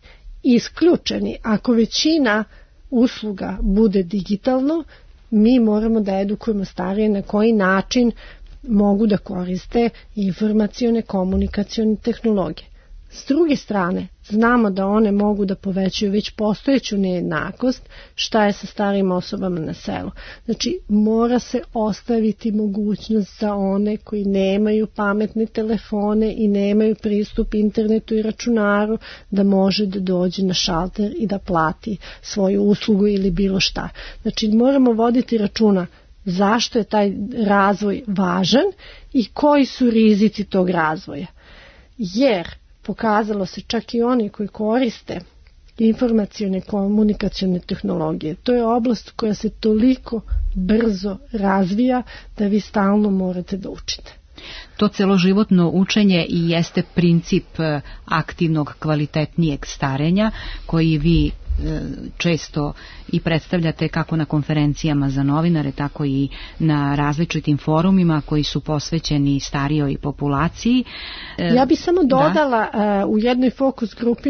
i isključeni, ako većina usluga bude digitalno, mi moramo da edukujemo starije na koji način mogu da koriste informacione komunikacione tehnologije. S druge strane, znamo da one mogu da povećaju već postojeću nejednakost, šta je sa starijim osobama na selu. Znači, mora se ostaviti mogućnost za one koji nemaju pametne telefone i nemaju pristup internetu i računaru, da može da dođe na šalter i da plati svoju uslugu ili bilo šta. Znači, moramo voditi računa zašto je taj razvoj važan i koji su rizici tog razvoja. Jer pokazalo se čak i oni koji koriste informacione komunikacione tehnologije. To je oblast koja se toliko brzo razvija da vi stalno morate da učite. To celoživotno učenje i jeste princip aktivnog, kvalitetnijeg starenja koji vi često i predstavljate kako na konferencijama za novinare, tako i na različitim forumima koji su posvećeni starijoj populaciji. Ja bih samo dodala, da. U jednoj fokus grupi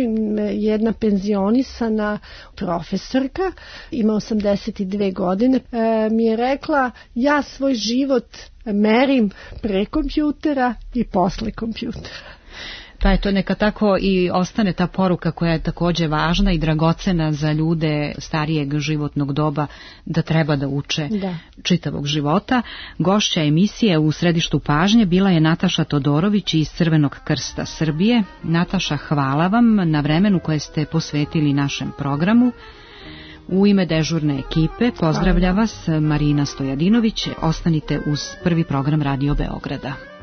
jedna penzionisana profesorka, ima osamdeset dve godine, mi je rekla, ja svoj život merim pre kompjutera i posle kompjutera. Pa eto, neka tako i ostane ta poruka koja je takođe važna i dragocena za ljude starijeg životnog doba, da treba da uče da. čitavog života. Gošća emisije u središtu pažnje bila je Nataša Todorović iz Crvenog krsta Srbije. Nataša, hvala vam na vremenu koje ste posvetili našem programu. U ime dežurne ekipe pozdravlja vas Marina Stojadinović. Ostanite uz prvi program Radio Beograda.